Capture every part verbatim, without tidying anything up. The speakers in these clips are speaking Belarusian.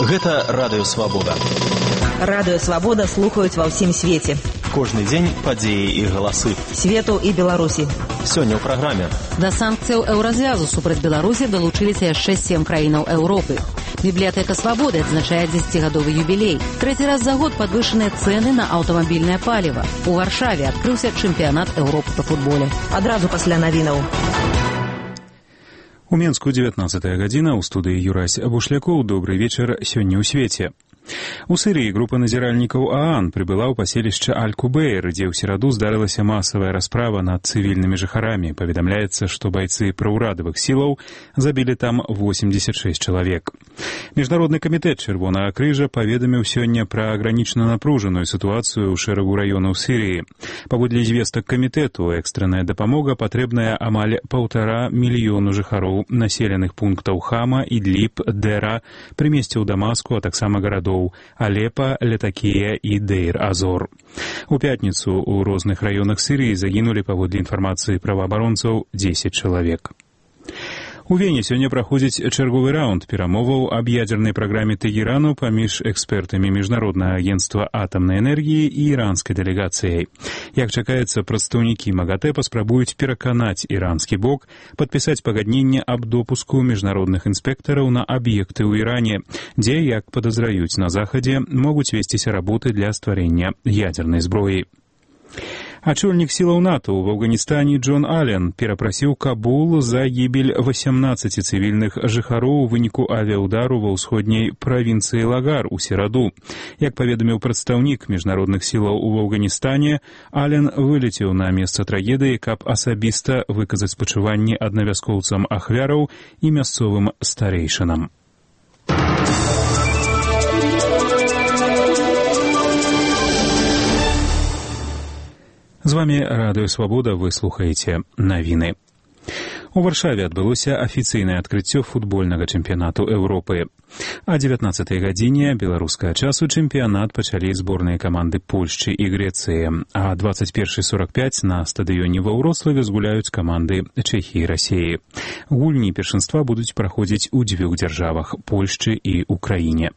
Гэта Радыё Свабода. Радыё Свабода слухаюць ва ўсім свеце. Кожны дзень падзеі і галасы. Свету і Беларусі. Сёння ў праграме. Да санкцыяў еўразвязу супраць Беларусі далучыліся яшчэ сем краінаў Еўропы. Бібліятэка Свабоды адзначае дзесяцігадовы юбілей. Трэці раз за год падвышаныя цэны на аўтамабільнае паліва. У Варшаве адкрыўся чэмпіянат Еўропы па футболе. Адразу пасля навінаў. У Менску дзевятнаццатая гадзіна, у студыі Юрась Бушлякоў. Добры вечар сёння ў свеце. У Сірыі група назіральнікаў ААН прыбыла ў паселішча Аль-Кубейр, дзе ў сераду здарылася масавая расправа над цывільнымі жыхарамі. Паведамляецца, што байцы праўрадавых сілаў забілі там восемьдесят шесть чалавек. Міжнародны камітэт Чырвонага крыжа паведаміў сёння пра агранічна напружаную сітуацыю ў шэрагу раёнаў Сірыі. Паводле звестак камітэту, экстранная дапамога патрэбная амаль паўтара мільёну жыхароў населеных пунктаў Хама, Ідліб, Дэра, прымесцяў Дамаску, а таксама гарадоў Алепа, Летакія і Дейр-Азор. У пятніцу ў розных раёнах Сірыі загінулі, паводле інфармацыі праваабаронцаў, дзесяць чалавек. У Вене сёння праходзіць чарговы раунд перамоваў аб ядзернай праграме Тэгерану паміж экспертамі Міжнароднага агенцтва атамнай энергіі і іранскай дэлегацыяй. Як чакаецца, прадстаўнікі МАГАТЭ паспрабуюць пераканаць іранскі бок падпісаць пагадненне аб допуску міжнародных інспектараў на аб'екты ў Іране, дзе, як падазраюць на Захадзе, могуць весціся работы для стварэння ядзернай зброі. Ачольнік сілаў НАТО ў Афганістане Джон Аллен перапрасіў Кабул за гібель восемнадцати цывільных жыхароў у выніку авіаудару ва ўсходняй правінцыі Лагар у сераду. Як паведаміў прадстаўнік міжнародных сілаў у Афганістане, Аллен вылецеў на месца трагедыі, каб асабіста выказаць спачуванні аднавяскоўцам ахвяраў і мясцовым старэйшынам. З вами Радыё Свабода, вы слухаеце навіны. У Варшаве адбылося афіцыйнае адкрыццё футбольнага чэмпіянату Еўропы. А дзевятнаццатай гадзіне беларускага часу чэмпіянат пачалі зборныя каманды Польшчы і Грэцыі, а двадцать першы сорок пять на стадыёне ва Ўроцлаве згуляюць каманды Чэхіі і Расіі. Гульні першынства будуць праходзіць у дзвюх дзяржавах – Польшчы і Украіне.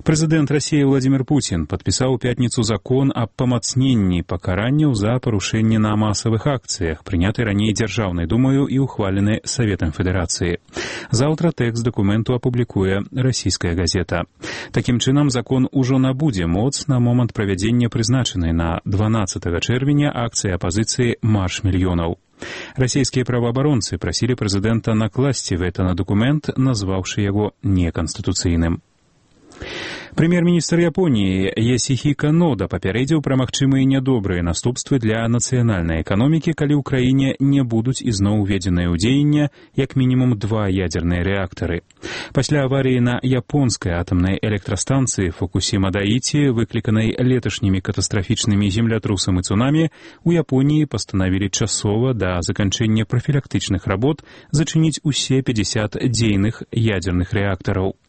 Прэзідэнт Расіі Владзімір Пуцін падпісаў у пятніцу закон аб памацненні пакаранняў за парушэнне на масавых акцыях, прыняты раней Дзяржаўнай думаю і ухвалены Саветам Федэрацыі. Заўтра тэкст дакументу апублікуе расійская газета. Такім чынам, закон ужо набудзе моц на момант правядзення прызначанай на дванаццатага чэрвеня акцыі апазіцыі «Марш мільёнаў». Расійскія праваабаронцы прасілі прэзідэнта накласці вэта на дакумент, назваўшы яго неканстытуцыйным. Прэм'ер-міністр Японіі Ясіхіка Нода папярэдзіў пра магчымыя нядобрыя наступствы для нацыянальнай эканомікі, калі ў краіне не будуць ізноў уведзеныя ў дзеянне як мінімум два ядзерныя рэактары. Пасля аварыі на японскай атамнай электрастанцыі Фукусіма-Даіці, выкліканай леташнімі катастрафічнымі землятрусам і цунамі, у Японіі пастанавілі часова да заканчэння прафілактычных работ зачыніць усе пятьдесят дзейных ядзерных рэактараў.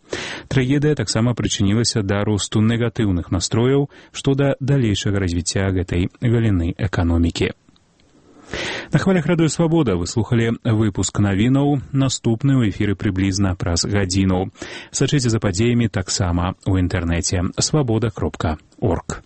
Трагедыя таксама прычынілася да росту негатыўных настрояў што да далейшага развіцця гэтай галіны эканомікі. На хвалях Радыё Свабода вы слухалі выпуск навінаў, наступны ў эфіры прыблізна праз гадзіну. Сачыце за падзеямі таксама ў інтэрнэце свабода кропка орг.